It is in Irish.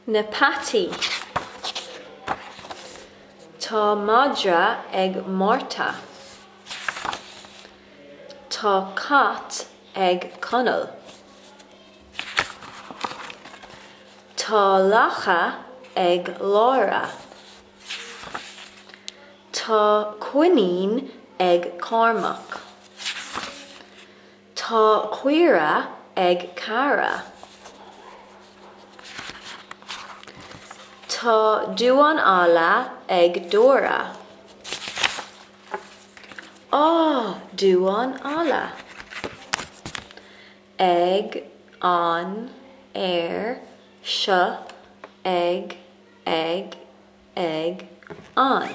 Na peataí. Tá madra ag Márta. Tá cat ag Conall. Tá lacha ag Lára. Tá coinín ag Cormac. Tá caora ag Cara. Tá damhán alla ag Dóra. Á, damhán alla! Ag, an, ar, seo, ag, ag, ag, an.